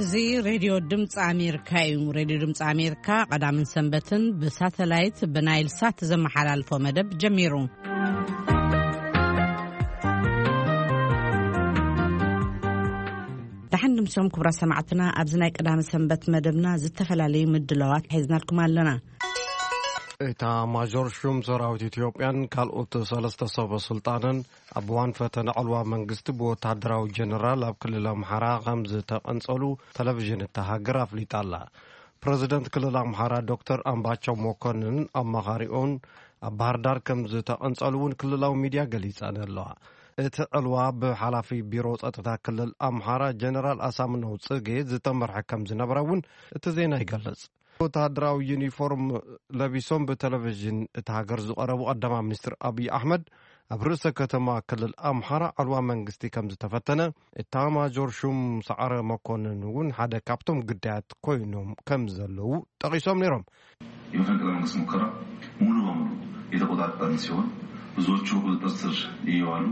እዚ ሬድዮ ድምፂ ኣሜሪካ እዩ። ሬድዮ ድምፂ ኣሜሪካ ቀዳምን ሰንበትን ብሳተላይት ብናይል ሳት ዘመሓላልፎ መደብ ጀሚሩ። ደሓን ድምሶም ክቡራት ሰማዕትና፣ ኣብዚ ናይ ቀዳመ ሰንበት መደብና ዝተፈላለዩ ምድላዋት ሒዝናልኩም ኣለና። እታ ማጆር ሹም ሰራዊት ኢትዮጵያን ካልኦት ሰለስተ ሰበ ስልጣንን ኣብ እዋን ፈተነ ዕልዋ መንግስቲ ብወታደራዊ ጀነራል ኣብ ክልል ኣምሓራ ከም ዝተቐንጸሉ ቴሌቪዥን እታ ሃገር ኣፍሊጣ ኣላ። ፕረዚደንት ክልል ኣምሓራ ዶክተር ኣምባቸው መኮንን ኣማኻሪኦን ኣብ ባህር ዳር ከም ዝተቐንጸሉ እውን ክልላዊ ሚድያ ገሊጸን ኣለዋ። እቲ ዕልዋ ብሓላፊ ቢሮ ጸጥታ ክልል ኣምሓራ ጀነራል ኣሳምነው ጽጌ ዝተመርሐ ከም ዝነበረ እውን እቲ ዜና ይገልጽ። ወተሃደራዊ ዩኒፎርም ለቢሶም ብቴሌቪዥን እታ ሃገር ዝቐረቡ ቀዳማይ ሚኒስትር ኣብይ ኣሕመድ፣ ኣብ ርእሰ ከተማ ክልል ኣምሓራ ዕልዋ መንግስቲ ከም ዝተፈተነ፣ ኤታማጆር ሹም ሰዓረ መኮንን እውን ሓደ ካብቶም ግዳያት ኮይኖም ከም ዘለዉ ጠቒሶም ነይሮም። የመፈንቅለ መንግስት ሙከራ ሙሉ በሙሉ የተቆጣጠርን ሲሆን ብዙዎቹ በቁጥጥር ስር እየዋሉ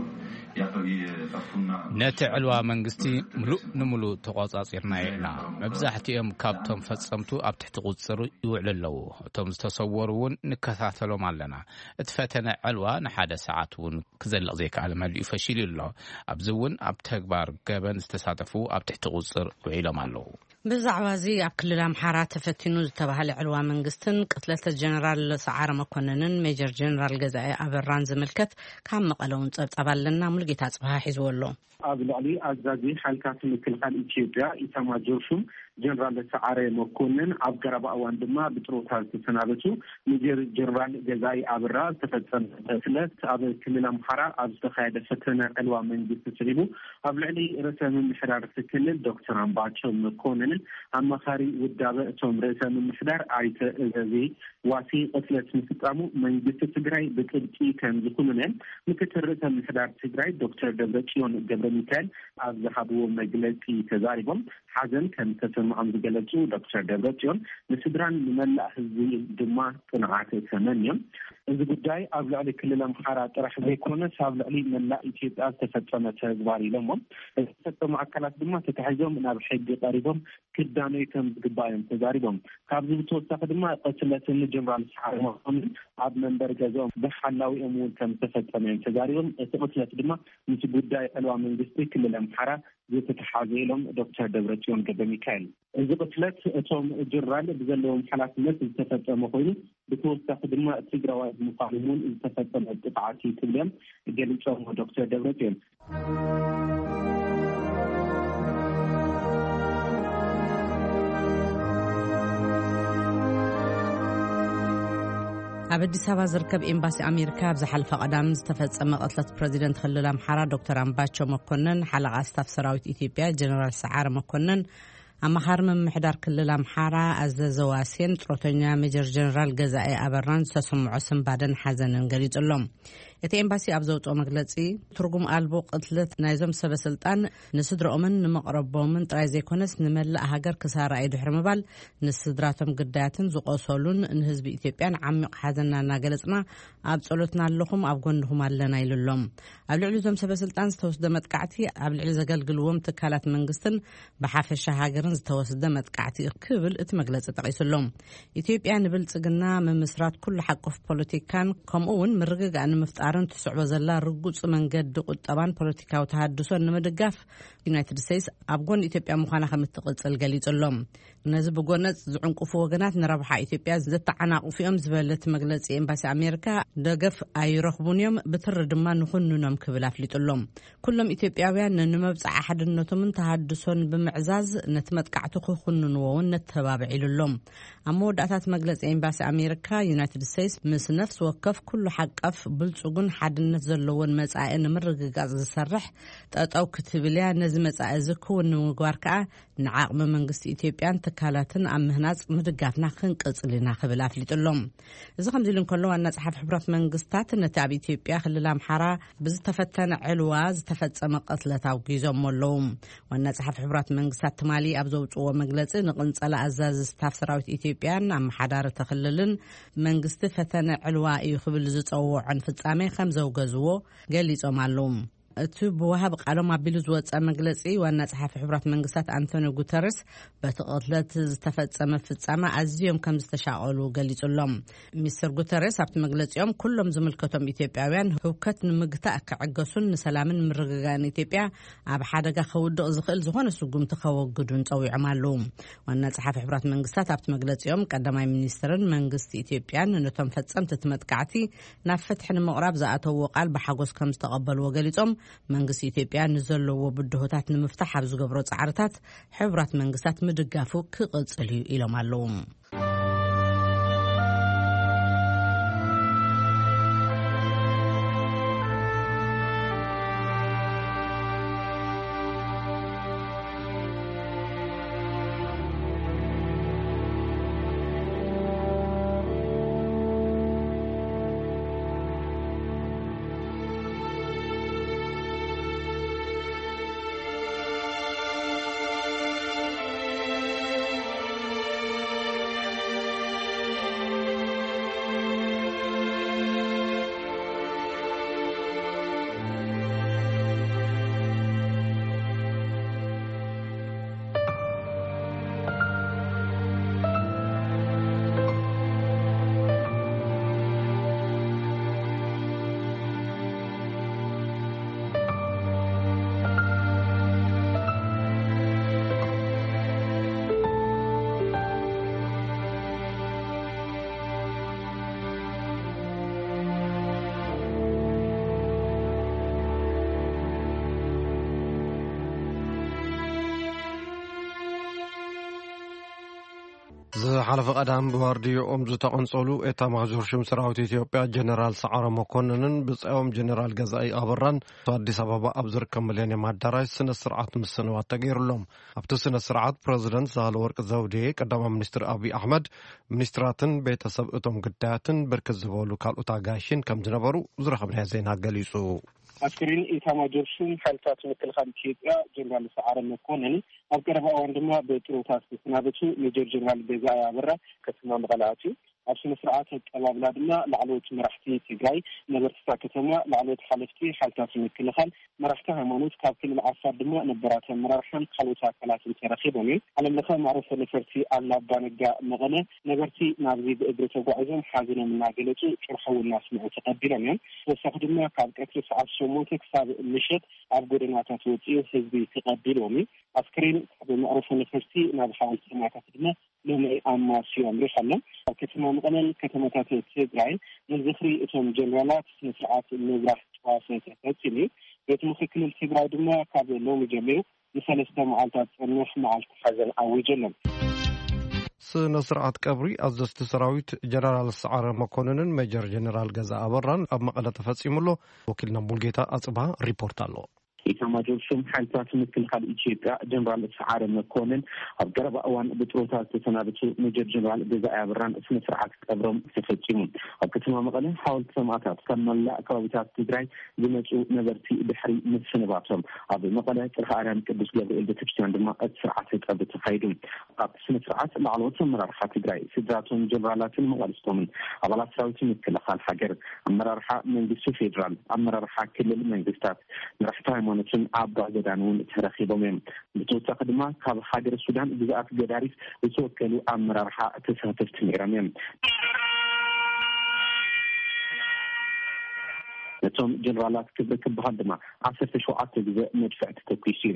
ያፈ-፣ የጠፉና ነቲ ዕልዋ መንግስቲ ምሉእ ንምሉእ ተቖጻጺርናዮ ኢና። መብዛሕትኦም ካብቶም ፈጸምቱ ኣብ ትሕቲ ቁጽጽር ይውዕሉ ኣለዉ። እቶም ዝተሰወሩ እውን ንከታተሎም ኣለና። እቲ ፈተነ ዕልዋ ንሓደ ሰዓት እውን ክዘልቕ ዘይከኣለ መሊኡ ፈሺሉ ኣሎ። ኣብዚ እውን ኣብ ተግባር ገበን ዝተሳተፉ ኣብ ትሕቲ ቁጽጽር ውዒሎም ኣለዉ። ብዛዕባ እዚ ኣብ ክልል ኣምሓራ ተፈቲኑ ዝተባህለ ዕልዋ መንግስትን ቅትለት ጀነራል ሰዓረ መኮንንን ሜጀር ጀነራል ገዛኢ ኣበራን ዝምልከት ካብ መቐለ እውን ጸብጻብ ኣለና። ሙሉጌታ ጽብሃ ሒዝዎ ኣሎ። ኣብ ልዕሊ ኣዛዚ ሓይልታት ምክልኻል ኢትዮጵያ ኢታማጆር ሹም ጀነራል ሰዓረ መኮንን፣ ኣብ ቀረባ እዋን ድማ ብጥሮታ ዝተሰናበቱ ሜጀር ጀነራል ገዛኢ ኣበራ ዝተፈጸመ ቅትለት፣ ኣብ ክልል ኣምሓራ ኣብ ዝተኻየደ ፈተነ ዕልዋ መንግስቲ ስዒቡ ኣብ ልዕሊ ርእሰ ምምሕዳር እቲ ክልል ዶክተር ኣምባቸው መኮንንን ኣማኻሪ ውዳበ እቶም ርእሰ ምምሕዳር ኣይተ እዘዜ ዋሲ ቅትለት ምፍጻሙ መንግስቲ ትግራይ ብጥብቂ ከም ዝኹንነ ምክትል ርእሰ ምምሕዳር ትግራይ ዶክተር ደብረጽዮን ገብረ ሚካኤል ኣብ ዝሃብዎ መግለጺ ተዛሪቦም። ሓዘን ከም ዝተሰምዖም ዝገለጹ ዶክተር ደብረጽዮን፣ ንስድራን ንመላእ ህዝቢ ድማ ጽንዓት ተመንዮም። እዚ ጉዳይ ኣብ ልዕሊ ክልል ኣምሓራ ጥራሕ ዘይኮነስ ኣብ ልዕሊ መላእ ኢትዮጵያ ዝተፈጸመ ተግባር ኢሎሞ። ዝተፈጸሙ ኣካላት ድማ ተታሒዞም ናብ ሕጊ ቀሪቦም ክዳነዩ ከም ዝግባእ እዮም ተዛሪቦም። ካብዚ ብተወሳኺ ድማ ቅትለትን ጀነራል ሰዓረ መኮንን ኣብ መንበሪ ገዛኦም ብሓላዊኦም እውን ከም ዝተፈጸመ እዮም ተዛሪቦም። እቲ ቅትለት ድማ ምስ ጉዳይ ዕልዋ መንግስቲ ክልል ኣምሓራ ዝተተሓዘ ኢሎም ዶክተር ደብረጽዮን ገብረ ሚካኤል። እዚ ቅትለት እቶም ጀነራል ብዘለዎም ሓላፍነት ዝተፈጸመ ኮይኑ፣ ብተወሳኺ ድማ ትግራዋይ ብምዃኑ እውን ዝተፈጸመ ጥቕዓት እዩ ክብሎም ገሊጾም ዶክተር ደብረጽዮን። ኣብ ኣዲስ ኣበባ ዝርከብ ኤምባሲ ኣሜሪካ ኣብ ዝሓለፈ ቀዳም ዝተፈጸመ ቅትለት ፕረዚደንት ክልል ኣምሓራ ዶክተር ኣምባቸው መኮንን፣ ሓለቓ ስታፍ ሰራዊት ኢትዮጵያ ጀነራል ሰዓረ መኮንን፣ ኣማኻሪ ምምሕዳር ክልል ኣምሓራ ኣዘዘ ዋሴን ጥሮተኛ ሜጀር ጀነራል ገዛኤ ኣበራን ዝተሰምዖ ስንባደን ሓዘንን ገሊጹ ኣሎ። እቲ ኤምባሲ ኣብ ዘውፅኦ መግለፂ፣ ትርጉም ኣልቦ ቅትለት ናይዞም ሰበ ስልጣን ንስድረኦምን ንመቕረቦምን ጥራይ ዘይኮነስ ንመላእ ሃገር ክሳራ እዩ ድሕሪ ምባል፣ ንስድራቶም ግዳያትን ዝቆሰሉን ንህዝቢ ኢትዮጵያን ዓሚቕ ሓዘንና እናገለጽና ኣብ ጸሎትና ኣለኹም፣ ኣብ ጎንኹም ኣለና ኢሉ ኣሎ። ኣብ ልዕሊ እዞም ሰበ ስልጣን ዝተወስደ መጥቃዕቲ ኣብ ልዕሊ ዘገልግልዎም ትካላት መንግስትን ብሓፈሻ ሃገርን ዝተወስደ መጥቃዕቲ ክብል እቲ መግለጺ ጠቒሱ ኣሎ። ኢትዮጵያ ንብልጽግና ምምስራት ኩሉ ሓቆፍ ፖለቲካን ከምኡ እውን ምርግጋእ ንምፍጣርን ትስዕቦ ዘላ ርጉጽ መንገዲ ቁጠባን ፖለቲካዊ ተሃድሶን ንምድጋፍ ዩናይትድ ስቴትስ ኣብ ጎኒ ኢትዮጵያ ምዃና ከም እትቕጽል ገሊጹ ኣሎ። ነዚ ብጎነጽ ዝዕንቅፉ ወገናት ንረብሓ ኢትዮጵያ ዘተዓናቕፉ እዮም ዝበለ እቲ መግለጺ ኤምባሲ ኣሜሪካ፣ ደገፍ ኣይረኽቡን እዮም፣ ብትሪ ድማ ንኹንኖም ክብል ኣፍሊጡ ኣሎ። ኩሎም ኢትዮጵያውያን ንመብጽዓ ሓድነቶምን ተሃድሶን ብምዕዛዝ ነቲ መጥቃዕቲ ክኹንንዎ እውን ነተባብዕ ኢሉ ኣሎ። ኣብ መወዳእታ እቲ መግለጺ ኤምባሲ ኣሜሪካ፣ ዩናይትድ ስቴትስ ምስ ነፍሲ ወከፍ ኩሉ ሓቀፍ ብልጹግን ሓድነት ዘለዎን መጻኢ ንምርግጋጽ ዝሰርሕ ጠጠው ክትብል እያ። ነዚ መጻኢ እዚ ክውን ንምግባር ከኣ ንዓቕሚ መንግስቲ ኢትዮጵያን ትካላትን ኣብ ምህናጽ ምድጋፍና ክንቅጽል ኢና ክብል ኣፍሊጡ ኣሎ። እዚ ከምዚ ኢሉ እንከሎ፣ ዋና ጸሓፊ ሕቡራት መንግስታት ነቲ ኣብ ኢትዮጵያ ክልል ኣምሓራ ብዝተፈተነ ዕልዋ ዝተፈጸመ ቅትለት ኣውጊዞሞ ኣለዉ። ዋና ጸሓፊ ሕቡራት መንግስታት ትማሊ ኣብ ዘውጽእዎ መግለጺ፣ ንቅንጸላ ኣዛዚ ስታፍ ሰራዊት ኢትዮጵያን ኣመሓዳሪ እቲ ክልልን መንግስቲ ፈተነ ዕልዋ እዩ ክብል ዝጸውዖን ፍጻሜ ከም ዘውገዝዎ ገሊጾም ኣለዉ። እቲ ብወሃብ ቃሎም ኣቢሉ ዝወጸ መግለጺ፣ ዋና ጸሓፊ ሕቡራት መንግስታት ኣንቶኒዮ ጉተረስ በቲ ቅትለት ዝተፈጸመ ፍጻመ ኣዝዮም ከም ዝተሻቐሉ ገሊጹሎም። ሚስተር ጉተረስ ኣብቲ መግለጺኦም፣ ኩሎም ዝምልከቶም ኢትዮጵያውያን ህውከት ንምግታእ ክዕገሱን ንሰላምን ምርግጋእን ኢትዮጵያ ኣብ ሓደጋ ከውድቕ ዝኽእል ዝኾነ ስጉምቲ ከወግዱን ጸዊዖም ኣለዉ። ዋና ጸሓፊ ሕቡራት መንግስታት ኣብቲ መግለጺኦም፣ ቀዳማይ ሚኒስትርን መንግስቲ ኢትዮጵያን ነቶም ፈጸምቲ እቲ መጥቃዕቲ ናብ ፍትሒ ንምቕራብ ዝኣተውዎ ቃል ብሓጎስ ከም ዝተቐበልዎ ገሊጾም፣ መንግስቲ ኢትዮጵያ ንዘለዎ ብድሆታት ንምፍታሕ ኣብ ዝገብሮ ጻዕርታት ሕቡራት መንግስታት ምድጋፉ ክቕጽል እዩ ኢሎም ኣለዉ። ዝሓለፈ ቀዳም ብዋርድዮኦም ዝተቐንጸሉ ኤታማዦር ሹም ሰራዊት ኢትዮጵያ ጀነራል ሰዓረ መኮንንን ብጻዮም ጀነራል ገዛኢ ኣበራን ኣዲስ ኣበባ ኣብ ዝርከብ ሚሌኒየም ኣዳራሽ ስነ ስርዓት ምስንባት ተገይሩሎም። ኣብቲ ስነ ስርዓት ፕረዚደንት ሳህለወርቅ ዘውዴ፣ ቀዳማይ ሚኒስትር ኣብይ ኣሕመድ፣ ሚኒስትራትን ቤተሰብ እቶም ግዳያትን ብርክት ዝበሉ ካልኦት ኣጋይሽን ከም ዝነበሩ ዝረኸብናዮ ዜና ገሊጹ። ኣስክሬን ኤታማጆር ሹም ሓይልታት ምክልኻል ኢትዮጵያ ጀነራል ሰዓረ መኮንን ኣብ ቀረባ እዋን ድማ ብጥሮታ ዝተሰናበቱ ሜጀር ጀነራል ገዛኢ ኣበራ ከተማ መቐለ ኣትዩ። ኣብ ስነ ስርዓት ኣቀባብላ ድማ ላዕለዎት መራሕቲ ትግራይ፣ ነበርቲ እታ ከተማ፣ ላዕለዎት ሓለፍቲ ሓይልታት ምክልኻል፣ መራሕቲ ሃይማኖት፣ ካብ ክልል ዓፋር ድማ ነበራት ኣመራርሓን ካልኦት ኣካላትን ተረኺቦም እዮም። ዓለም ለኸ መዕረፎ ነፈርቲ ኣሉላ ኣባነጋ መቐለ፣ ነበርቲ ናብዚ ብእግሪ ተጓዒዞም ሓዘኖም እናገለጹ ጭርሖ እውን እናስምዑ ተቐቢሎም እዮም። ተወሳኺ ድማ ካብ ቀትሪ ሰዓት ሸሞንተ ክሳብ ምሸት ኣብ ጎደናታት ወፂኡ ህዝቢ ተቐቢልዎም እዩ። ኣስክሬን ካብ መዕረፎ ነፈርቲ ናብ ሓወልቲ ሰማእታት ድማ ሎሚ ኣማስዩ ኣምሪሖ ኣሎ። ኣብ ከተማ መቐለን ከተማታት ትግራይን ንዝኽሪ እቶም ጀነራላት ስነ ስርዓት ምብራህ ጨዋታ ተፈፂሙ እዩ። ቤት ምኽሪ ክልል ትግራይ ድማ ካብ ሎሚ ጀሚሩ ንሰለስተ መዓልታት ዝፀንሕ መዓልቲ ሓዘን ኣዊጁ ኣሎ። ስነ ስርዓት ቀብሪ ኣዘዝቲ ሰራዊት ጀነራል ሰዓረ መኮንንን ሜጀር ጀነራል ገዛ ኣበራን ኣብ መቐለ ተፈፂሙ ኣሎ። ወኪልና ሙልጌታ ኣፅባ ሪፖርት ኣሎ። ኢታማጆር ሹም ሓይልታት ምክልኻል ኢትዮጵያ ጀነራል ሰዓረ መኮንን ኣብ ቀረባ እዋን ብጥሮታ ዝተሰናበቱ ሜጀር ጀነራል ገዛኢ ኣበራን ስነ ስርዓት ቀብሮም ተፈፂሙ። ኣብ ከተማ መቐለ ሓወልቲ ሰማእታት ካብ መላእ ከባቢታት ትግራይ ዝመፁ ነበርቲ ድሕሪ ምስንባቶም ኣብ መቐለ ጽርሐ ኣርያም ቅዱስ ገብርኤል ቤተክርስትያን ድማ እቲ ስርዓተ ቀብሪ ተኻይዱ። ኣብቲ ስነ ስርዓት ላዕለዎት ኣመራርሓ ትግራይ፣ ስድራቶም ጀነራላትን መቓልስቶምን፣ ኣባላት ሰራዊት ምክልኻል ሃገር፣ ኣመራርሓ መንግስቲ ፌዴራል፣ ኣመራርሓ ክልል መንግስታት፣ መራሕቲ ሃይማኖትን ኣባ ገዳን እውን ተረኺቦም እዮም። ብተወሳኺ ድማ ካብ ሃገር ሱዳን ግዝኣት ገዳሪፍ ዝተወከሉ ኣመራርሓ ተሳተፍቲ ነይሮም እዮም። ነቶም ጀነራላት ክብሪ ክበሃል ድማ ዓሰርተ ሸውዓተ ግዜ መድፍዕ ተተኲሱ እዩ።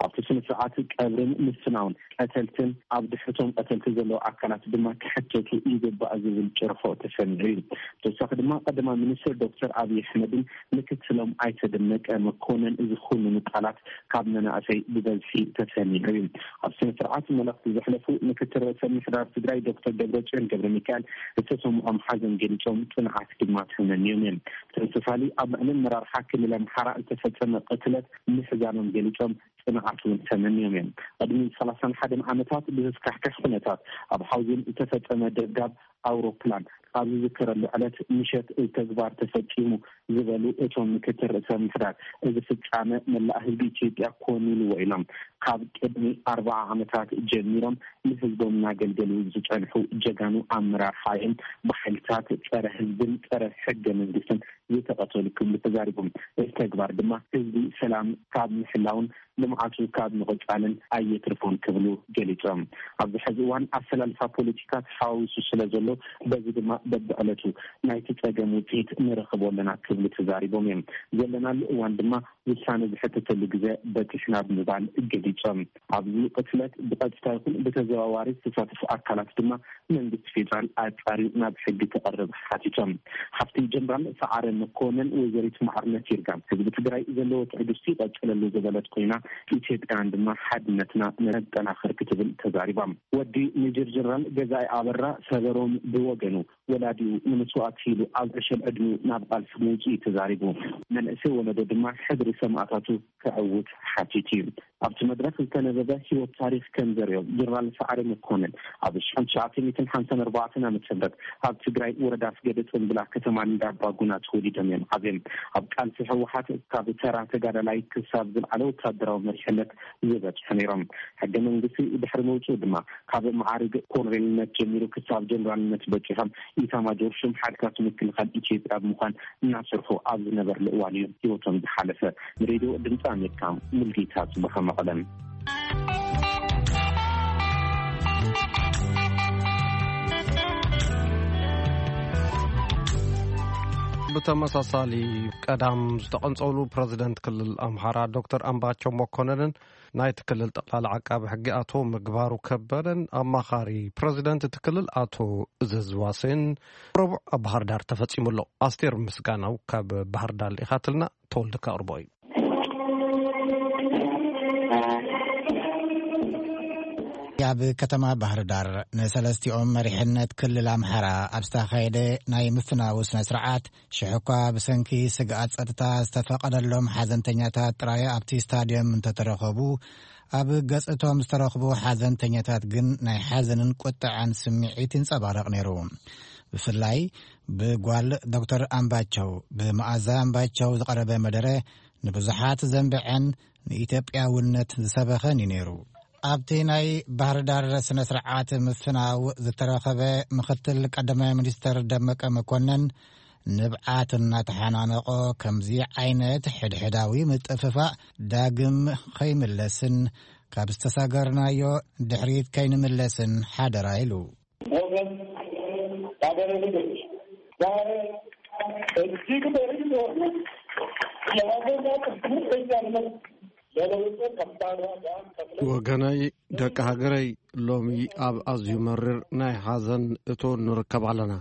ኣብቲ ስነ ስርዓት ቀብርን ምስናውን ቀተልትን ኣብ ድሕርቶም ቀተልቲ ዘለዉ ኣካላት ድማ ክሕተቱ ይግባእ ዝብል ጭርሖ ተሰሚዑ እዩ። ብተወሳኺ ድማ ቀዳማይ ሚኒስትር ዶክተር ኣብይ ኣሕመድን ምክትሎም ኣይተ ደመቀ መኮንን ዝኹንኑ ቃላት ካብ መናእሰይ ብበዝሒ ተሰሚዑ እዩ። ኣብ ስነ ስርዓት መልእኽቲ ዘሕለፉ ምክትል ርእሰ ምምሕዳር ትግራይ ዶክተር ደብረጽዮን ገብረ ሚካኤል ዝተሰምዖም ሓዘን ገሊጾም ጽንዓት ድማ ተመንዮም እዮም። ብተመሳሳሊ ኣብ ልዕሊ ኣመራርሓ ክልል ኣምሓራ ዝተፈጸመ ቅትለት ምሕዛኖም ገሊጾም ጽንዓት እውን ተመንዮም እዮም። ቅድሚ ሰላሳን ሓደን ዓመታት ብዘስካሕክሕ ኩነታት ኣብ ሓውዜን ዝተፈጸመ ደብዳብ ኣውሮፕላን ኣብ ዝዝከረሉ ዕለት ምሸት ተግባር ተፈጺሙ ዝበሉ እቶም ምክትል ርእሰ ምምሕዳር፣ እዚ ፍጻመ መላእ ህዝቢ ኢትዮጵያ ኮን ኢልዎ ኢሎም። ካብ ቅድሚ ኣርባዓ ዓመታት ጀሚሮም ንህዝቦም እናገልገሉ ዝጸንሑ ጀጋኑ ኣመራርሓ እዮም ብሓይልታት ጸረ ህዝብን ጸረ ሕገ መንግስትን ዝተቐተሉ ክብሉ ተዛሪቦም። እዚ ተግባር ድማ ህዝቢ ሰላም ካብ ምሕላውን ልምዓቱ ካብ ምቕጻልን ኣየትርፎን ክብሉ ገሊጾም። ኣብዚ ሕዚ እዋን ኣሰላልፋ ፖለቲካ ተሓዋዊሱ ስለ ዘሎ፣ በዚ ድማ በብዕለቱ ናይቲ ጸገም ውጽኢት ንረኽቦ ኣለና ክብሉ ተዛሪቦም እዮም። ዘለናሉ እዋን ድማ ውሳነ ዝሕተተሉ ግዜ በጺሕና ብምባል ገሊጾም። ኣብዚ ቅትለት ብቐጥታ ይኹን ብተዘዋዋሪ ዝተሳተፉ ኣካላት ድማ መንግስቲ ፌዴራል ኣጻርዩ ናብ ሕጊ ክቐርብ ሓቲቶም። ሓፍቲ ጀነራል ሰዓረ መኮነን ወይዘሪት ማዕርነት ይርጋ ህዝቢ ትግራይ ዘለዎ ትዕግስቲ ይቐጽለሉ ዝበለት ኮይና፣ ኢትዮጵያውያን ድማ ሓድነትና ነጠናኽር ክትብል ተዛሪባ። ወዲ ሜጀር ጀነራል ገዛኢ ኣበራ ሰበሮም ብወገኑ፣ ወላዲኡ ንመስዋእቲ ኢሉ ኣብ ዕሸል ዕድሚኡ ናብ ቃልሲ ምውፅኡ ተዛሪቡ። መንእሰይ ወለዶ ድማ ሕድሪ ሰማእታቱ ክዕውት ሓቲቱ እዩ። ኣብቲ መድረክ ዝተነበበ ህይወት ታሪክ ከም ዘርእዮ፣ ጀነራል ሰዓረ መኮነን ኣብ ሽሕን ትሽዓተ ሚእትን ሓምሳን ኣርባዕተን ዓመተ ምህረት ኣብ ትግራይ ወረዳ ኣስገደ ጽምብላ ከተማ እንዳባ ጉና ተወሊዶም እዮም ዓብዮም። ኣብ ቃልሲ ህወሓት ካብ ተራ ተጋዳላይ ክሳብ ዝለዓለ ወታደራዊ መሪሕነት ዝበጽሑ ነይሮም። ሕገ መንግስቲ ድሕሪ ምውፅኡ ድማ ካብ መዓርግ ኮሎኔልነት ጀሚሩ ክሳብ ጀነራልነት በፂሖም ኢታማጆር ሹም ሓይልታት ምክልኻል ኢትዮጵያ ብምዃን እናሰርሑ ኣብ ዝነበርሉ እዋን እዩ ህይወቶም ዝሓለፈ። ንሬድዮ ድምፂ ኣሜሪካ፣ ሙልጌታ ጽባህ፣ መቐለም። ብተመሳሳሊ ቀዳም ዝተቐንጸሉ ፕረዚደንት ክልል ኣምሓራ ዶክተር ኣምባቸው መኮነንን ናይቲ ክልል ጠቕላሊ ዓቃቢ ሕጊ ኣቶ ምግባሩ ከበደን ኣማኻሪ ፕረዚደንት እቲ ክልል ኣቶ እዘዝ ዋሴን ረቡዕ ኣብ ባህር ዳር ተፈጺሙ ኣሎ። ኣስቴር ምስጋናው ካብ ባህር ዳር ልኢኻትልና፣ ተወልደ ከቕርቦ እዩ። ኣብ ከተማ ባህር ዳር ንሰለስቲኦም መሪሕነት ክልል ኣምሓራ ኣብ ዝተኻየደ ናይ ምፍናው ስነ ስርዓት፣ ሽሕ እኳ ብሰንኪ ስግኣት ጸጥታ ዝተፈቐደሎም ሓዘንተኛታት ጥራይ ኣብቲ ስታድዮም እንተተረኸቡ፣ ኣብ ገጽ እቶም ዝተረኽቡ ሓዘንተኛታት ግን ናይ ሓዘንን ቁጥዐን ስምዒት ይንጸባረቕ ነይሩ። ብፍላይ ብጓል ዶክተር ኣምባቸው፣ ብመኣዛ ኣምባቸው ዝቐረበ መደረ ንብዙሓት ዘንበዐን ንኢትዮጵያውነት ዝሰበኸን እዩ ነይሩ። ኣብቲ ናይ ባህር ዳር ስነ ስርዓት ምፍናው ዝተረኸበ ምኽትል ቀዳማይ ሚኒስተር ደመቀ መኮነን፣ ንብዓት እናተሓናነቆ፣ ከምዚ ዓይነት ሕድሕዳዊ ምጥፍፋእ ዳግም ከይምለስን ካብ ዝተሳገርናዮ ድሕሪት ከይንምለስን ሓደራ ኢሉ። ሞገስ ሀገረ ልጆች፣ ዛሬ እጅግ በርግጦ የሀገርና ቅድም በያነት ለለውጡ ከባድ ዋጋ ከፍለ ወገነይ፣ ደቂ ሃገረይ፣ ሎሚ ኣብ ኣዝዩ መሪር ናይ ሓዘን እቶ ንርከብ ኣለና።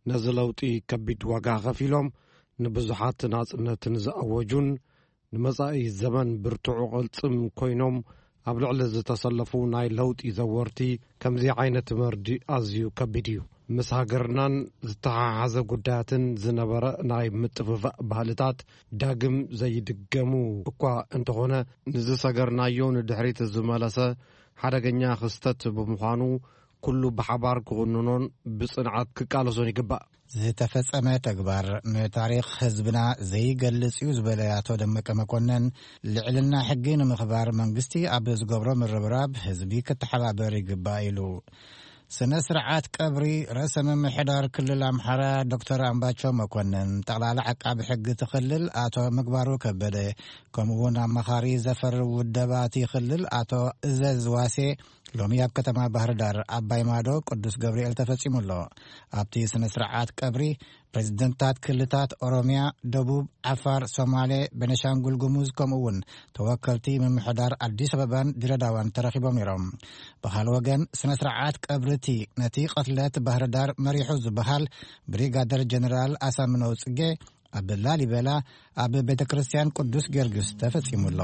ነዚ ለውጢ ከቢድ ዋጋ ከፊሎም ንብዙሓት ናጽነትን ዝኣወጁን ንመጻኢ ዘመን ብርቱዕ ቅልጽም ኮይኖም ኣብ ልዕሊ ዝተሰለፉ ናይ ለውጢ ዘወርቲ ከምዚ ዓይነት መርድእ ኣዝዩ ከቢድ እዩ። ምስ ሃገርናን ዝተሓሓዘ ጉዳያትን ዝነበረ ናይ ምጥፍፋእ ባህልታት ዳግም ዘይድገሙ እኳ እንተኾነ፣ ንዝሰገርናዮ ንድሕሪት ዝመለሰ ሓደገኛ ክስተት ብምዃኑ፣ ኩሉ ብሓባር ክኹንኖን ብጽንዓት ክቃለሶን ይግባእ። ዝተፈጸመ ተግባር ንታሪኽ ህዝብና ዘይገልጽ እዩ ዝበለ ኣቶ ደመቀ መኮነን፣ ልዕልና ሕጊ ንምኽባር መንግስቲ ኣብ ዝገብሮ ምርብራብ ህዝቢ ክተሓባበር ይግባእ ኢሉ። ስነ ስርዓት ቀብሪ ርእሰ ምምሕዳር ክልል ኣምሓራ ዶክተር ኣምባቸው መኮነን፣ ጠቕላላ ዓቃቢ ሕጊ እቲ ክልል ኣቶ ምግባሩ ከበደ፣ ከምኡ እውን ኣማኻሪ ዘፈር ውደባ እቲ ክልል ኣቶ እዘዝ ዋሴ ሎሚ ኣብ ከተማ ባህር ዳር ኣባይ ማዶ ቅዱስ ገብርኤል ተፈጺሙ ኣሎ። ኣብቲ ስነ ስርዓት ቀብሪ ፕሬዝደንታት ክልታት ኦሮሚያ፣ ደቡብ፣ ዓፋር፣ ሶማሌ፣ ቤኒሻንጉል ጉሙዝ ከምኡ እውን ተወከልቲ ምምሕዳር ኣዲስ ኣበባን ድሬዳዋን ተረኺቦም ነይሮም። ብኻል ወገን ስነ ስርዓት ቀብሪ እቲ ነቲ ቅትለት ባህር ዳር መሪሑ ዝበሃል ብሪጋደር ጀነራል ኣሳምነው ጽጌ ኣብ ላሊበላ ኣብ ቤተ ክርስቲያን ቅዱስ ጊዮርጊስ ተፈጺሙ ኣሎ።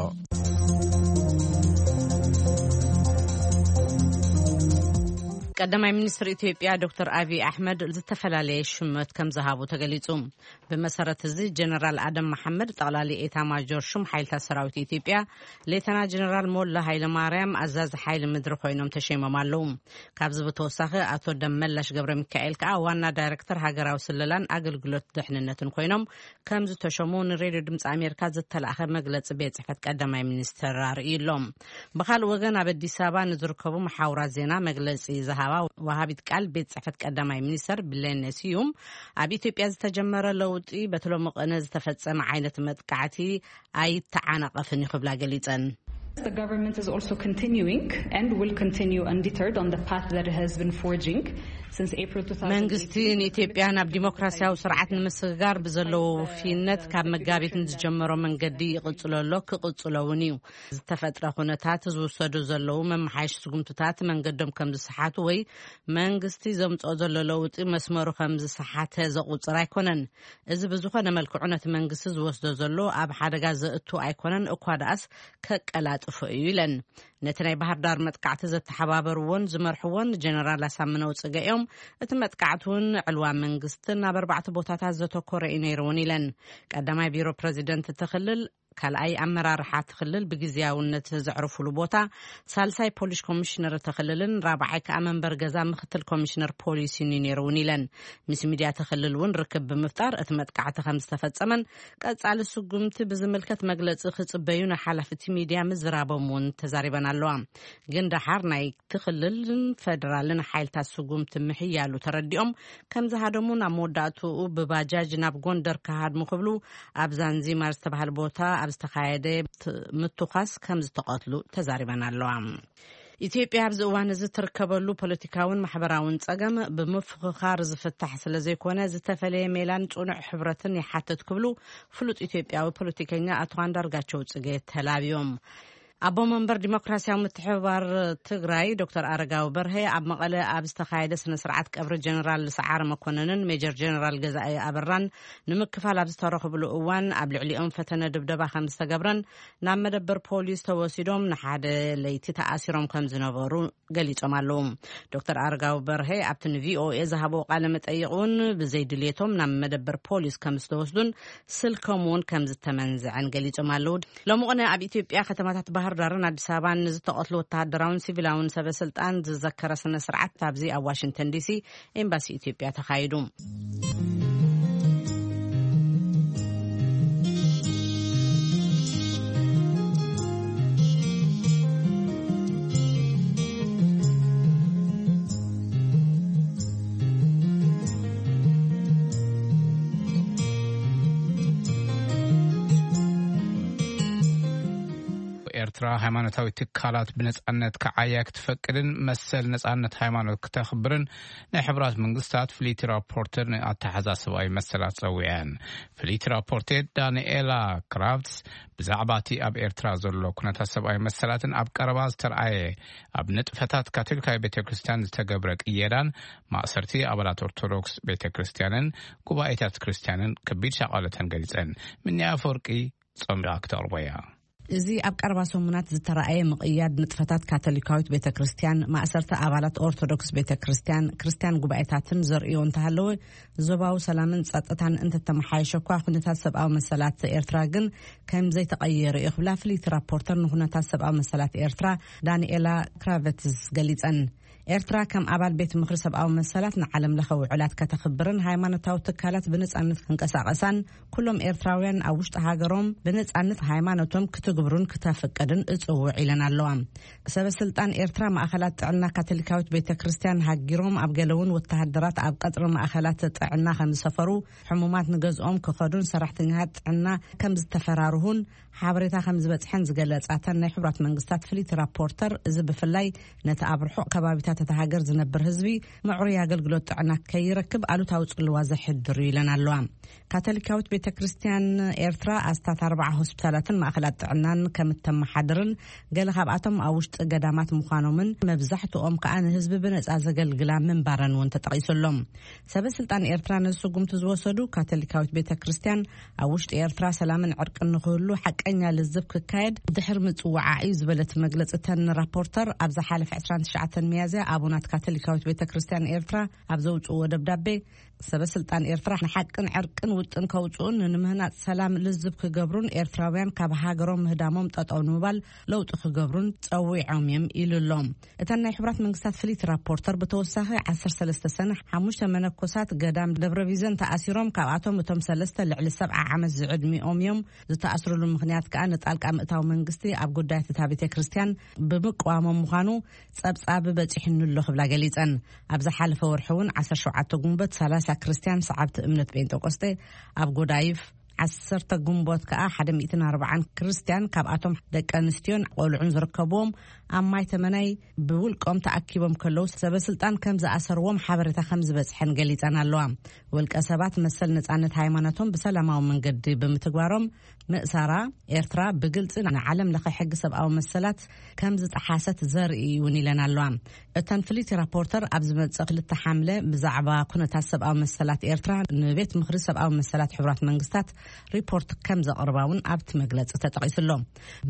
ቀዳማይ ሚኒስትር ኢትዮጵያ ዶክተር ኣቢይ ኣሕመድ ዝተፈላለየ ሽመት ከም ዝሃቡ ተገሊጹ። ብመሰረት እዚ፣ ጀነራል ኣደም መሓመድ ጠቕላሊ ኤታ ማጆር ሹም ሓይልታት ሰራዊት ኢትዮጵያ፣ ሌተና ጀነራል ሞላ ሃይለ ማርያም ኣዛዚ ሓይሊ ምድሪ ኮይኖም ተሸይሞም ኣለዉ። ካብዚ ብተወሳኺ፣ ኣቶ ደመላሽ ገብረ ሚካኤል ከኣ ዋና ዳይሬክተር ሃገራዊ ስለላን ኣገልግሎት ድሕንነትን ኮይኖም ከም ዝተሸሙ ንሬድዮ ድምፂ ኣሜሪካ ዝተላእኸ መግለፂ ቤት ጽሕፈት ቀዳማይ ሚኒስትር ኣርእዩ ኣሎ። ብኻልእ ወገን፣ ኣብ ኣዲስ ኣበባ ንዝርከቡ መሓውራት ዜና መግለፂ ዝሃባ ወሃቢት ቃል ቤት ጽሕፈት ቀዳማይ ሚኒስትር ብሌነ ስዩም፣ ኣብ ኢትዮጵያ ዝተጀመረ ለውጢ በቲ ሎሚ ቅነ ዝተፈጸመ ዓይነት መጥቃዕቲ ኣይተዓናቐፍን እዩ ክብላ ገሊጸን። The government is also continuing and will continue undeterred on the path that it has been forging since April two thousand eighteen. መንግስቲ ንኢትዮጵያ ናብ ዲሞክራሲያዊ ስርዓት ንምስግጋር ብዘለዎ ውፍይነት ካብ መጋቢት ንዝጀመሮ መንገዲ ይቕጽሎ ኣሎ፣ ክቕጽሎ እውን እዩ። ዝተፈጥረ ኩነታት ዝውሰዱ ዘለዉ መመሓየሽ ስጉምትታት መንገዶም ከም ዝሰሓቱ ወይ መንግስቲ ዘምጽኦ ዘሎ ለውጢ መስመሩ ከም ዝሰሓተ ዘቑጽር ኣይኮነን። እዚ ብዝኾነ መልክዑ ነቲ መንግስቲ ዝወስዶ ዘሎ ኣብ ሓደጋ ዘእቱ ኣይኮነን፣ እኳ ደኣስ ከቀላጥፎ እዩ ኢለን። ነቲ ናይ ባህር ዳር መጥቃዕቲ ዘተሓባበርዎን ዝመርሕዎን ጀነራል ኣሳምነው ጽገ እዮም። እቲ መጥቃዕቲ እውን ዕልዋ መንግስትን ኣብ ኣርባዕተ ቦታታት ዘተኮረ እዩ ነይሩ እውን ኢለን። ቀዳማይ ቢሮ ፕረዚደንት እቲ ክልል፣ ካልኣይ ኣመራርሓ እቲ ክልል ብግዝያውነት ዘዕርፉሉ ቦታ፣ ሳልሳይ ፖሊስ ኮሚሽነር እቲ ክልልን ራብዓይ ከኣ መንበር ገዛ ምክትል ኮሚሽነር ፖሊስን እዩ ነይሩ እውን ኢለን። ምስ ሚድያ እቲ ክልል እውን ርክብ ብምፍጣር እቲ መጥቃዕቲ ከም ዝተፈጸመን ቀጻሊ ስጉምቲ ብዝምልከት መግለጺ ክጽበዩ ንሓላፍቲ ሚድያ ምዝራቦም እውን ተዛሪበን ኣለዋ። ግን ደሓር ናይቲ ክልልን ፌደራልን ሓይልታት ስጉምቲ ምሕያሉ ተረዲኦም ከም ዝሃደሙ፣ ናብ መወዳእትኡ ብባጃጅ ናብ ጎንደር ክሃድሙ ክብሉ ኣብ ዛንዚማር ዝተባህለ ቦታ ኣብ ዝተኻየደ ት-፣ ምትኳስ ከም ዝተቐትሉ ተዛሪበን ኣለዋ። ኢትዮጵያ ኣብዚ እዋን እዚ ትርከበሉ ፖለቲካውን ማሕበራውን ጸገም ብምፍኽኻር ዝፍታሕ ስለ ዘይኮነ፣ ዝተፈለየ ሜላን ጽኑዕ ሕብረትን ይሓትት ክብሉ ፍሉጥ ኢትዮጵያዊ ፖለቲከኛ ኣቶ ኣንዳርጋቸው ጽጌ ተላብዮም። ኣቦ መንበር ዲሞክራሲያዊ ምትሕብባር ትግራይ ዶክተር ኣረጋዊ በርሀ ኣብ መቐለ ኣብ ዝተኻየደ ስነ ስርዓት ቀብሪ ጀነራል ሰዓረ መኮነንን ሜጀር ጀነራል ገዛኢ ኣበራን ንምክፋል ኣብ ዝተረኽብሉ እዋን፣ ኣብ ልዕሊኦም ፈተነ ድብደባ ከም ዝተገብረን ናብ መደበር ፖሊስ ተወሲዶም ንሓደ ለይቲ ተኣሲሮም ከም ዝነበሩ ገሊጾም ኣለዉ። ዶክተር ኣረጋዊ በርሀ ኣብቲ ን ቪ ኦ ኤ ዝሃብዎ ቃለ መጠይቕ እውን፣ ብዘይ ድልየቶም ናብ መደበር ፖሊስ ከም ዝተወስዱን ስልኮም እውን ከም ዝተመንዝዐን ገሊጾም ኣለዉ። ሎሚ ቅነ ኣብ ኢትዮጵያ ከተማታት ባህር ዳርን ኣዲስ ኣበባን ንዝተቐትሉ ወተሃደራውን ሲቪላውን ሰበ ስልጣን ዝዘከረ ስነ ስርዓት ኣብዚ ኣብ ዋሽንግተን ዲ ሲ ኤምባሲ ኢትዮጵያ ተኻይዱ። ኤርትራ ሃይማኖታዊ ትካላት ብነጻነት ክዓያ ክትፈቅድን መሰል ነጻነት ሃይማኖት ክተኽብርን ናይ ሕቡራት መንግስታት ፍልይቲ ራፖርተር ንኣተሓዛ ሰብኣዊ መሰላት ጸዊዐን። ፍልይቲ ራፖርተር ዳንኤላ ክራፍትስ ብዛዕባ እቲ ኣብ ኤርትራ ዘሎ ኩነታት ሰብኣዊ መሰላትን ኣብ ቀረባ ዝተረኣየ ኣብ ንጥፈታት ካቶሊካዊ ቤተ ክርስቲያን ዝተገብረ ቅየዳን ማእሰርቲ ኣባላት ኦርቶዶክስ ቤተ ክርስቲያንን ጉባኤታት ክርስቲያንን ከቢድ ሻቐለተን ገሊጸን። ምንያ ኣፈወርቂ ጸሚቓ ክተቕርቦ እያ። እዚ ኣብ ቀረባ ሰሙናት ዝተረኣየ ምቕያድ ንጥፈታት ካቶሊካዊት ቤተ ክርስቲያን፣ ማእሰርቲ ኣባላት ኦርቶዶክስ ቤተ ክርስቲያን፣ ክርስቲያን ጉባኤታትን ዘርእዮ እንተሃለወ፣ ዞባዊ ሰላምን ጸጥታን እንተተመሓየሸ እኳ፣ ኩነታት ሰብኣዊ መሰላት ኤርትራ ግን ከም ዘይተቐየረ እዩ ክብላ ፍልይቲ ራፖርተር ንኩነታት ሰብኣዊ መሰላት ኤርትራ ዳንኤላ ክራቨትስ ገሊጸን። ኤርትራ ከም ኣባል ቤት ምኽሪ ሰብኣዊ መሰላት ንዓለም ለኸ ውዕላት ከተኽብርን ሃይማኖታዊ ትካላት ብነጻነት ክንቀሳቐሳን ኩሎም ኤርትራውያን ኣብ ውሽጢ ሃገሮም ብነጻነት ሃይማኖቶም ክትግብሩን ክተፍቅድን እጽውዕ ኢለን ኣለዋ። ሰበ ስልጣን ኤርትራ ማእኸላት ጥዕና ካቶሊካዊት ቤተ ክርስቲያን ሃጊሮም ኣብ ገለ እውን ወተሃደራት ኣብ ቀጽሪ ማእኸላት ጥዕና ከም ዝሰፈሩ ሕሙማት ንገዝኦም ክኸዱን ሰራሕተኛታት ጥዕና ከም ዝተፈራርሁን ሓበሬታ ከም ዝበጽሐን ዝገለጻተን ናይ ሕቡራት መንግስታት ፍልይቲ ራፖርተር፣ እዚ ብፍላይ ነቲ ኣብ ርሑቕ ከባቢታት እታ ሃገር ዝነብር ህዝቢ ምዕሩይ ኣገልግሎት ጥዕና ከይረክብ ኣሉታዊ ጽልዋ ዘሕድር እዩ ኢለን ኣለዋ። ካቶሊካዊት ቤተ ክርስቲያን ኤርትራ ኣስታት ኣርባዓ ሆስፒታላትን ማእኸላት ጥዕናን ከም እተመሓድርን፣ ገለ ካብኣቶም ኣብ ውሽጢ ገዳማት ምዃኖምን መብዛሕትኦም ከኣ ንህዝቢ ብነጻ ዘገልግላ ምንባረን እውን ተጠቒሱ ኣሎ። ሰበ ስልጣን ኤርትራ ነዚ ስጉምቲ ዝወሰዱ፣ ካቶሊካዊት ቤተ ክርስቲያን ኣብ ውሽጢ ኤርትራ ሰላምን ዕርቅን ንኽህሉ ሓቀኛ ልዝብ ክካየድ ድሕሪ ምጽውዓ እዩ ዝበለት መግለጺ እተን ራፖርተር፣ ኣብ ዝሓለፈ ዕስራን ትሽዓተን ሚያዝያ ኣቡናት ካቶሊካዊት ቤተ ክርስቲያን ኤርትራ ኣብ ዘውፅእዎ ደብዳቤ፣ ሰበ ስልጣን ኤርትራ ንሓቅን ዕርቅን ውጥን ከውፅኡን ንምህናፅ ሰላም ልዝብ ክገብሩን ኤርትራውያን ካብ ሃገሮም ምህዳሞም ጠጠው ንምባል ለውጢ ክገብሩን ጸዊዖም እዮም ኢሉ ኣሎ። እተን ናይ ሕቡራት መንግስታት ፍሊት ራፖርተር ብተወሳኺ ዓሰርተ ሰለስተ ሰነ ሓሙሽተ መነኮሳት ገዳም ደብረ ቢዘን ተኣሲሮም፣ ካብኣቶም እቶም ሰለስተ ልዕሊ ሰብዓ ዓመት ዝዕድሚኦም እዮም። ዝተኣስሩሉ ምኽንያት ከኣ ንጣልቃ ምእታው መንግስቲ ኣብ ጉዳያት እታ ቤተ ክርስቲያን ብምቅዋሞም ምዃኑ ጸብጻብ በጺሑኒ ኣሎ ክብላ ገሊጸን። ኣብ ዝሓለፈ ወርሒ እውን ዓሰርተ ሸውዓተ ጉንበት ሰላሳ ክርስቲያን ሰዓብቲ እምነት ጴንጠቆስጤ ኣብ ጎዳይፍ፣ ዓሰርተ ጉንቦት ከኣ ሓደ ሚእትን ኣርባዓን ክርስቲያን ካብኣቶም ደቂ ኣንስትዮን ቆልዑን ዝርከብዎም ኣብ ማይ ተመናይ ብውልቆም ተኣኪቦም ከለዉ ሰበ ስልጣን ከም ዝኣሰርዎም ሓበሬታ ከም ዝበጽሐን ገሊጸን ኣለዋ። ውልቀ ሰባት መሰል ነጻነት ሃይማኖቶም ብሰላማዊ መንገዲ ብምትግባሮም ምእሳራ ኤርትራ ብግልጺ ንዓለም ለኸ ሕጊ ሰብኣዊ መሰላት ከም ዝጠሓሰት ዘርኢ እውን ኢለን ኣለዋ። እተን ፍሊቲ ራፖርተር ኣብ ዝመጽእ ክልተ ሓምለ ብዛዕባ ኩነታት ሰብኣዊ መሰላት ኤርትራ ንቤት ምኽሪ ሰብኣዊ መሰላት ሕቡራት መንግስታት ሪፖርት ከም ዘቕርባ እውን ኣብቲ መግለጺ ተጠቒሱ ኣሎ።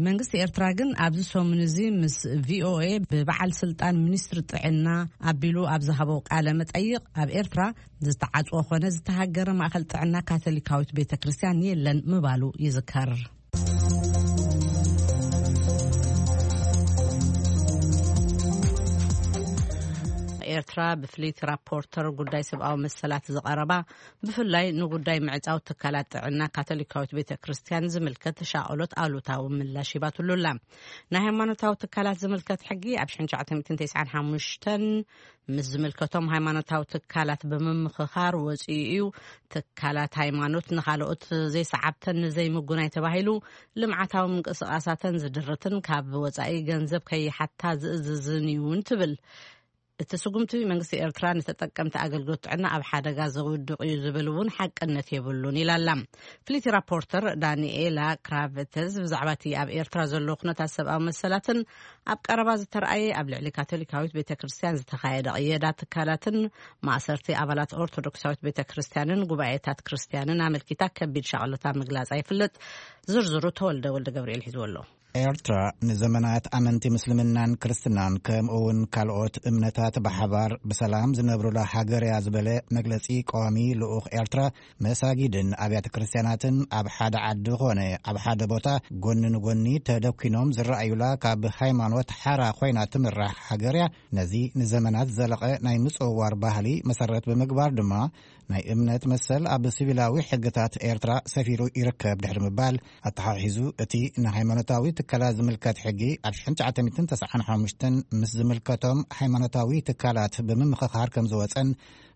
መንግስቲ ኤርትራ ግን ኣብዚ ሰሙን እዚ ምስ ቪኦኤ ብበዓል ስልጣን ሚኒስትሪ ጥዕና ኣቢሉ ኣብ ዝሃቦ ቃለ መጠይቕ ኣብ ኤርትራ ዝተዓጽወ ኾነ ዝተሃገረ ማእኸል ጥዕና ካቶሊካዊት ቤተ ክርስቲያን የለን ምባሉ ይዝከር። ኤርትራ ብፍሊት ራፖርተር ጉዳይ ሰብኣዊ መሰላት ዝቐረባ ብፍላይ ንጉዳይ ምዕጻው ትካላት ጥዕና ካቶሊካዊት ቤተ ክርስቲያን ዝምልከት ተሻቕሎት ኣሉታዊ ምላሽ ሂባትሉ ኣላ። ናይ ሃይማኖታዊ ትካላት ዝምልከት ሕጊ ኣብ ሽሕን ትሽዓተ ሚእትን ተስዓን ሓሙሽተን ምስ ዝምልከቶም ሃይማኖታዊ ትካላት ብምምኽኻር ወጺኡ እዩ። ትካላት ሃይማኖት ንኻልኦት ዘይሰዓብተን ንዘይምጉናይ ተባሂሉ ልምዓታዊ ምንቅስቓሳተን ዝድርትን ካብ ወጻኢ ገንዘብ ከይሓታ ዝእዝዝን እዩን ትብል። እቲ ስጉምቲ መንግስቲ ኤርትራ ንተጠቀምቲ ኣገልግሎት ጥዕና ኣብ ሓደጋ ዘውድቕ እዩ ዝብል እውን ሓቅነት የብሉን ኢላላ። ፍሊቲ ራፖርተር ዳንኤላ ክራቨተዝ ብዛዕባ እቲ ኣብ ኤርትራ ዘሎ ኩነታት ሰብኣዊ መሰላትን ኣብ ቀረባ ዝተረኣየ ኣብ ልዕሊ ካቶሊካዊት ቤተ ክርስቲያን ዝተኻየደ ቅየዳ ትካላትን ማእሰርቲ ኣባላት ኦርቶዶክሳዊት ቤተ ክርስቲያንን ጉባኤታት ክርስቲያንን ኣመልኪታ ከቢድ ሻቕሎታ ምግላጻ ይፍለጥ። ዝርዝሩ ተወልደ ወልደ ገብርኤል ሒዝዎ ኣሎ። ኤርትራ ንዘመናት ኣመንቲ ምስልምናን ክርስትናን ከምኡ እውን ካልኦት እምነታት ብሓባር ብሰላም ዝነብሩላ ሃገር እያ ዝበለ መግለጺ ቀዋሚ ልኡኽ ኤርትራ፣ መሳጊድን ኣብያተ ክርስቲያናትን ኣብ ሓደ ዓዲ ኾነ ኣብ ሓደ ቦታ ጎኒ ንጎኒ ተደኪኖም ዝረኣዩላ ካብ ሃይማኖት ሓራ ኮይና ትምራሕ ሃገር እያ። ነዚ ንዘመናት ዝዘለቐ ናይ ምጽውዋር ባህሊ መሰረት ብምግባር ድማ ናይ እምነት መሰል ኣብ ሲቪላዊ ሕግታት ኤርትራ ሰፊሩ ይርከብ ድሕሪ ምባል ኣተሓሒዙ፣ እቲ ንሃይማኖታዊ ትካላት ዝምልከት ሕጊ ኣብ ሽሕን ትሽዓተ ሚእትን ተስዓን ሓሙሽተን ምስ ዝምልከቶም ሃይማኖታዊ ትካላት ብምምኽኻር ከም ዝወጸን፣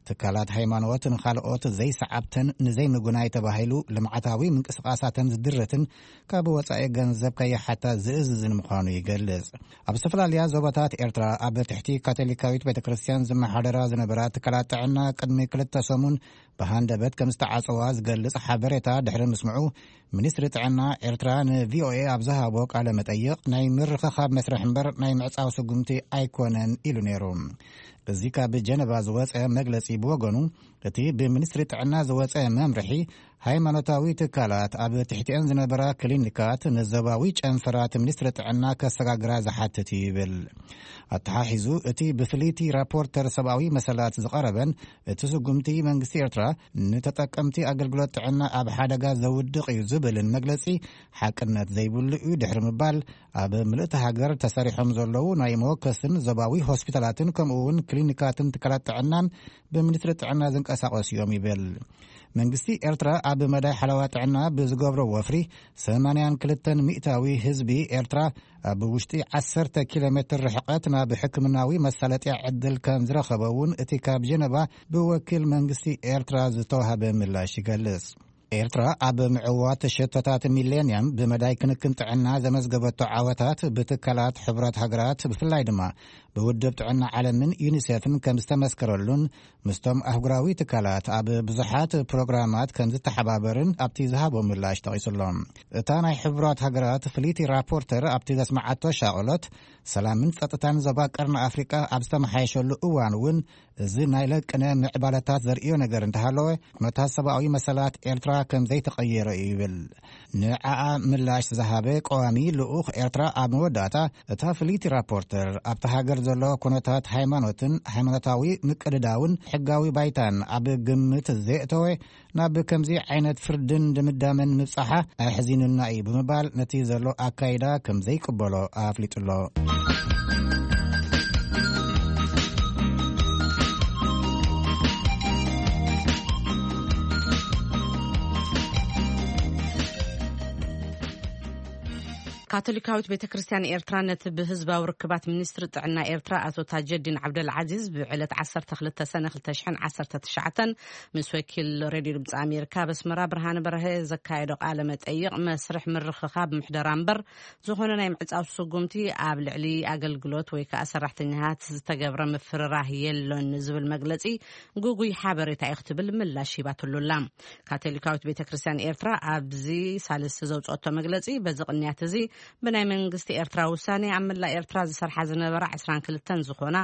ትካላት ሃይማኖት ንኻልኦት ዘይሰዓብተን ንዘይምጉናይ ተባሂሉ ልምዓታዊ ምንቅስቓሳተን ዝድርትን ካብ ወጻኢ ገንዘብ ከይሓታ ዝእዝዝን ምዃኑ ይገልጽ። ኣብ ዝተፈላለያ ዞባታት ኤርትራ ኣብ ትሕቲ ካቶሊካዊት ቤተ ክርስቲያን ዝመሓደራ ዝነበራ ትካላት ጥዕና ቅድሚ ክልተ ሰሙን ብሃንደበት ከም ዝተዓጸዋ ዝገልጽ ሓበሬታ ድሕሪ ምስምዑ፣ ሚኒስትሪ ጥዕና ኤርትራ ንቪኦኤ ኣብ ዝሃቦ ቃለ መጠይቕ፣ ናይ ምርኽኻብ መስርሕ እምበር ናይ ምዕጻው ስጉምቲ ኣይኮነን ኢሉ ነይሩ። እዚ ካብ ጀነቫ ዝወጸ መግለጺ ብወገኑ፣ እቲ ብሚኒስትሪ ጥዕና ዝወጸ መምርሒ፣ ሃይማኖታዊ ትካላት ኣብ ትሕቲአን ዝነበራ ክሊኒካት ንዞባዊ ጨንፈራት ሚኒስትሪ ጥዕና ከሰጋግራ ዝሓትት እዩ ይብል። ኣተሓሒዙ፣ እቲ ብፍልይቲ ራፖርተር ሰብኣዊ መሰላት ዝቐረበን እቲ ስጉምቲ መንግስቲ ኤርትራ ንተጠቀምቲ ኣገልግሎት ጥዕና ኣብ ሓደጋ ዘውድቕ እዩ ዝብልን መግለጺ ሓቅነት ዘይብሉ እዩ ድሕሪ ምባል፣ ኣብ ምልእቲ ሃገር ተሰሪሖም ዘለዉ ናይ መወከስን ዞባዊ ሆስፒታላትን ከምኡ እውን ክሊኒካትን ትካላት ጥዕናን ብሚኒስትሪ ጥዕና ዝንቀሳቐሱ እዮም ይብል። መንግስቲ ኤርትራ ኣብ መዳይ ሓለዋ ጥዕና ብዝገብሮ ወፍሪ ሰማንያን ክልተን ሚእታዊ ህዝቢ ኤርትራ ኣብ ውሽጢ ዓሰርተ ኪሎ ሜትር ርሕቀት ናብ ሕክምናዊ መሳለጥያ ዕድል ከም ዝረኸበ እውን እቲ ካብ ጀነቫ ብወኪል መንግስቲ ኤርትራ ዝተዋህበ ምላሽ ይገልጽ። ኤርትራ ኣብ ምዕዋት ሸቶታት ሚሌንያም ብመዳይ ክንክን ጥዕና ዘመዝገበቶ ዓወታት ብትካላት ሕቡራት ሃገራት ብፍላይ ድማ ብውድብ ጥዕና ዓለምን ዩኒሴፍን ከም ዝተመስከረሉን ምስቶም ኣህጉራዊ ትካላት ኣብ ብዙሓት ፕሮግራማት ከም ዝተሓባበርን ኣብቲ ዝሃቦ ምላሽ ጠቒሱሎም። እታ ናይ ሕቡራት ሃገራት ፍልይቲ ራፖርተር ኣብቲ ዘስመዓቶ ሻቕሎት፣ ሰላምን ጸጥታን ዞባ ቀርኒ ኣፍሪቃ ኣብ ዝተመሓየሸሉ እዋን እውን እዚ ናይ ለቅነ ምዕባለታት ዘርእዮ ነገር እንተሃለወ፣ ኩነታት ሰብኣዊ መሰላት ኤርትራ ከም ዘይተቐየረ እዩ ይብል። ንዓኣ ምላሽ ዝሃበ ቀዋሚ ልኡኽ ኤርትራ ኣብ መወዳእታ፣ እታ ፍልይቲ ራፖርተር ኣብቲ ሃገር ዘሎ ኩነታት ሃይማኖትን ሃይማኖታዊ ምቅድዳውን ሕጋዊ ባይታን ኣብ ግምት ዘየእተወ፣ ናብ ከምዚ ዓይነት ፍርድን ድምዳመን ምብጻሓ ኣሕዚኑና እዩ ብምባል፣ ነቲ ዘሎ ኣካይዳ ከም ዘይቅበሎ ኣፍሊጡ ኣሎ። ካቶሊካዊት ቤተ ክርስቲያን ኤርትራ ነቲ ብህዝባዊ ርክባት ሚኒስትሪ ጥዕና ኤርትራ ኣቶ ታጀዲን ዓብደል ዓዚዝ ብዕለት ዓሰርተ ክልተ ሰነ ክልተ ሽሕን ዓሰርተ ትሽዓተን ምስ ወኪል ሬድዮ ድምፂ ኣሜሪካ ኣብ ኣስመራ ብርሃነ በርሀ ዘካየዶ ቃለ መጠይቕ፣ መስርሕ ምርኽኻብ ምሕደራ እምበር ዝኾነ ናይ ምዕጻው ስጉምቲ ኣብ ልዕሊ ኣገልግሎት ወይ ከዓ ሰራሕተኛታት ዝተገብረ ምፍርራህ የሎን ዝብል መግለጺ ግጉይ ሓበሬታ እዩ ክትብል ምላሽ ሂባትሉ ኣላ። ካቶሊካዊት ቤተ ክርስቲያን ኤርትራ ኣብዚ ሳልስቲ ዘውፅኦቶ መግለጺ፣ በዚ ቅንያት እዚ ብናይ መንግስቲ ኤርትራ ውሳኔ ኣብ መላእ ኤርትራ ዝሰርሓ ዝነበራ ዕስራን ክልተን ዝኾና፣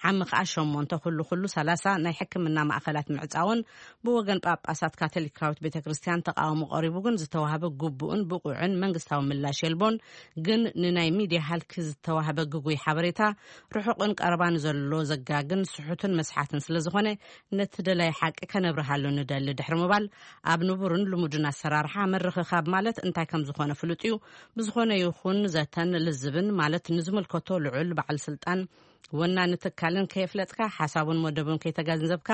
ዓሚ ከኣ ሸሞንተ፣ ኩሉ ኩሉ ሰላሳ ናይ ሕክምና ማእኸላት ምዕጻውን ብወገን ጳጳሳት ካቶሊካዊት ቤተ ክርስቲያን ተቃውሞ ቀሪቡ ግን ዝተዋህበ ግቡእን ብቑዕን መንግስታዊ ምላሽ የልቦን። ግን ንናይ ሚድያ ሃልኪ ዝተዋህበ ግጉይ ሓበሬታ ርሑቕን ቀረባን ዘሎ ዘጋግን ስሑትን መስሓትን ስለ ዝኾነ፣ ነቲ ደላይ ሓቂ ከነብርሃሉ ንደሊ ድሕሪ ምባል፣ ኣብ ንቡርን ልሙድን ኣሰራርሓ ምርኽኻብ ማለት እንታይ ከም ዝኾነ ፍሉጥ እዩ። ብዝኾነ ይኹን ዘተን ልዝብን ማለት ንዝምልከቶ ልዑል በዓል ስልጣን ወናኒ ትካልን ከየፍለጥካ፣ ሓሳቡን መደቡን ከይተገንዘብካ፣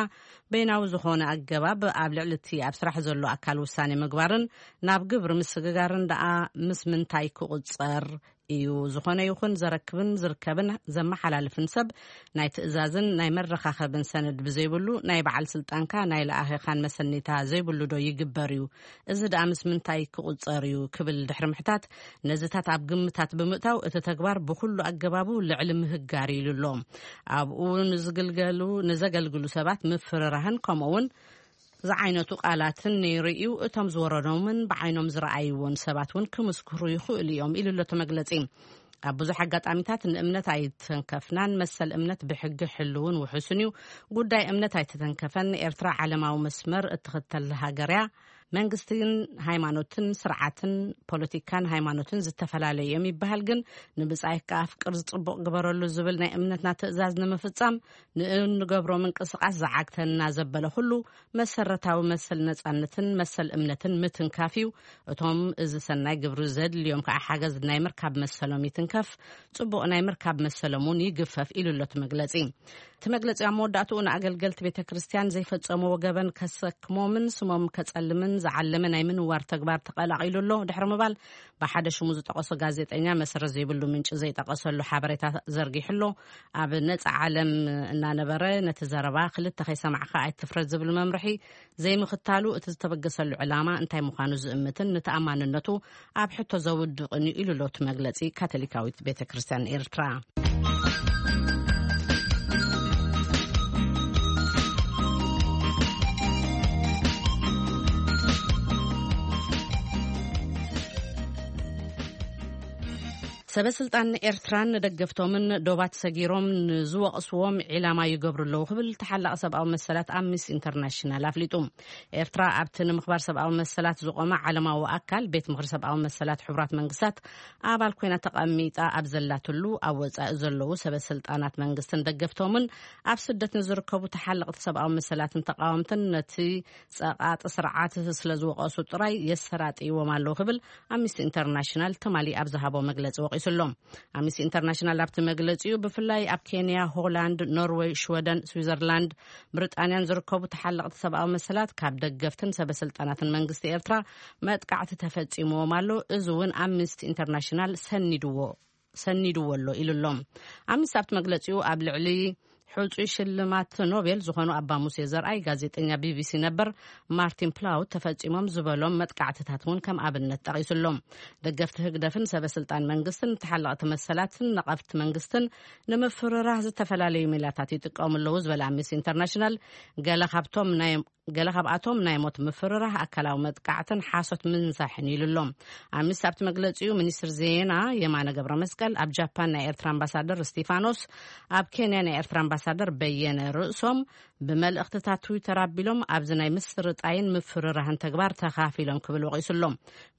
በይናዊ ዝኾነ ኣገባብ ኣብ ልዕሊ እቲ ኣብ ስራሕ ዘሎ ኣካል ውሳኔ ምግባርን ናብ ግብሪ ምስግጋርን ደኣ ምስ ምንታይ ክቑጸር እዩ? ዝኾነ ይኹን ዘረክብን ዝርከብን ዘመሓላልፍን ሰብ ናይ ትእዛዝን ናይ መረኻኸብን ሰነድ ብዘይብሉ፣ ናይ በዓል ስልጣንካ ናይ ለኣኺኻን መሰኒታ ዘይብሉ ዶ ይግበር እዩ? እዚ ደኣ ምስ ምንታይ ክቑጸር እዩ? ክብል ድሕሪ ምሕታት፣ ነዚታት ኣብ ግምታት ብምእታው፣ እቲ ተግባር ብኹሉ ኣገባቡ ልዕሊ ምህጋር ኢሉ ኣሎ። ኣብኡ ንዝግልገሉ፣ ንዘገልግሉ ሰባት ምፍርራህን ከምኡ እውን ዝዓይነቱ ቃላትን ነይሩ እዩ። እቶም ዝወረዶምን ብዓይኖም ዝረኣይዎን ሰባት እውን ክምስክሩ ይኽእሉ እዮም ኢሉ ኣሎ እቲ መግለጺ። ኣብ ብዙሕ ኣጋጣሚታት ንእምነት ኣይተንከፍናን፣ መሰል እምነት ብሕጊ ሕልውን ውሑስን እዩ። ጉዳይ እምነት ኣይተተንከፈን። ኤርትራ ዓለማዊ መስመር እትኽተል ሃገር እያ። መንግስትን ሃይማኖትን፣ ስርዓትን ፖለቲካን ሃይማኖትን ዝተፈላለዩ እዮም ይበሃል፣ ግን ንብጻይካ ኣፍቅር፣ ዝጽቡቕ ግበረሉ ዝብል ናይ እምነትና ትእዛዝ ንምፍጻም ንእንገብሮ ምንቅስቃስ ዝዓግተና ዘበለ ኩሉ፣ መሰረታዊ መሰል ነጻነትን መሰል እምነትን ምትንካፍ እዩ። እቶም እዚ ሰናይ ግብሪ ዘድልዮም ከዓ ሓገዝ ናይ ምርካብ መሰሎም ይትንከፍ፣ ጽቡቕ ናይ ምርካብ መሰሎም እውን ይግፈፍ ኢሉ ኣሎ እቲ መግለጺ። እቲ መግለጺ ኣብ መወዳእትኡ ንኣገልገልቲ ቤተ ክርስቲያን ዘይፈጸምዎ ገበን ከሰክሞምን ስሞም ከጸልምን ዝዓለመ ናይ ምንዋር ተግባር ተቐላቒሉ ኣሎ ድሕሪ ምባል፣ ብሓደ ሽሙ ዝጠቐሶ ጋዜጠኛ መሰረት ዘይብሉ ምንጪ ዘይጠቐሰሉ ሓበሬታ ዘርጊሑ ኣሎ። ኣብ ነጻ ዓለም እናነበረ ነቲ ዘረባ ክልተ ከይሰማዕካ ኣይትፍረድ ዝብል መምርሒ ዘይምኽታሉ፣ እቲ ዝተበገሰሉ ዕላማ እንታይ ምዃኑ ዝእምትን ንተኣማንነቱ ኣብ ሕቶ ዘውድቕን እዩ ኢሉ ኣሎ እቲ መግለጺ ካቶሊካዊት ቤተ ክርስቲያን ኤርትራ። ሰበ ስልጣን ኤርትራን ንደገፍቶምን ዶባት ሰጊሮም ንዝወቕስዎም ዒላማ ይገብሩ ኣለዉ ክብል ተሓላቒ ሰብኣዊ መሰላት ኣምነስቲ ኢንተርናሽናል ኣፍሊጡ። ኤርትራ ኣብቲ ንምኽባር ሰብኣዊ መሰላት ዝቖመ ዓለማዊ ኣካል ቤት ምኽሪ ሰብኣዊ መሰላት ሕቡራት መንግስታት ኣባል ኮይና ተቐሚጣ ኣብ ዘላትሉ፣ ኣብ ወጻኢ ዘለዉ ሰበ ስልጣናት መንግስትን ደገፍቶምን ኣብ ስደት ንዝርከቡ ተሓለቕቲ ሰብኣዊ መሰላትን ተቃወምትን ነቲ ጸቓጢ ስርዓት ስለ ዝወቐሱ ጥራይ የሰራጥይዎም ኣለዉ ክብል ኣምነስቲ ኢንተርናሽናል ትማሊ ኣብ ዝሃቦ መግለጺ ወቒሱ ኣሎ። ኣምነስቲ ኢንተርናሽናል ኣብቲ መግለጺኡ፣ ብፍላይ ኣብ ኬንያ፣ ሆላንድ፣ ኖርወይ፣ ሽወደን፣ ስዊዘርላንድ፣ ብሪጣንያን ዝርከቡ ተሓለቕቲ ሰብኣዊ መሰላት ካብ ደገፍትን ሰበ ስልጣናትን መንግስቲ ኤርትራ መጥቃዕቲ ተፈጺምዎም ኣሎ። እዚ እውን ኣምነስቲ ኢንተርናሽናል ሰኒድዎ ሰኒድዎ ኣሎ ኢሉ ኣሎ። ኣምነስቲ ኣብቲ መግለጺኡ፣ ኣብ ልዕሊ ሕጹይ ሽልማት ኖቤል ዝኾኑ ኣባ ሙሴ ዘርኣይ፣ ጋዜጠኛ ቢቢሲ ነበር ማርቲን ፕላውት ተፈጺሞም ዝበሎም መጥቃዕትታት እውን ከም ኣብነት ጠቒሱ ኣሎ። ደገፍቲ ህግደፍን ሰበ ስልጣን መንግስትን ተሓለቕቲ መሰላትን ነቐፍቲ መንግስትን ንምፍርራህ ዝተፈላለዩ ሜላታት ይጥቀሙ ኣለዉ ዝበለ ኣምነስቲ ኢንተርናሽናል፣ ገለ ካብቶም ናይ ገለ ካብኣቶም ናይ ሞት ምፍርራህ፣ ኣካላዊ መጥቃዕትን ሓሶት ምንዛሕን ኢሉ ኣሎ። ኣሚስ ኣብቲ መግለጺኡ፣ ሚኒስትር ዜና የማነ ገብረ መስቀል ኣብ ጃፓን ናይ ኤርትራ ኣምባሳደር እስቲፋኖስ፣ ኣብ ኬንያ ናይ ኤርትራ ኣምባሳደር በየነ ርእሶም ብመልእኽትታት ትዊተር ኣቢሎም ኣብዚ ናይ ምስርጣይን ምፍርራህን ተግባር ተኻፊሎም ክብል ወቒሱ ኣሎ።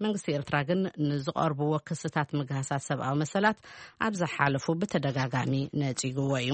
መንግስቲ ኤርትራ ግን ንዝቐርብዎ ክስታት ምግሃሳት ሰብኣዊ መሰላት ኣብ ዝሓለፉ ብተደጋጋሚ ነጺግዎ እዩ።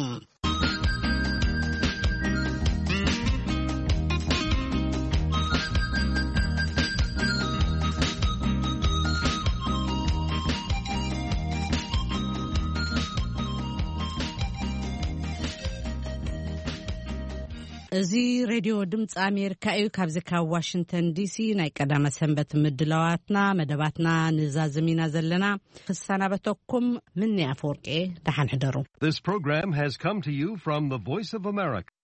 እዚ ሬድዮ ድምፂ ኣሜሪካ እዩ። ካብዚ ካብ ዋሽንግተን ዲሲ ናይ ቀዳመ ሰንበት ምድላዋትና፣ መደባትና ንዛዝም ኢና ዘለና። ክሰናበተኩም ምኒ ኣፈወርቂ፣ ደሓን ሕደሩ። This program has come to you from the Voice of America.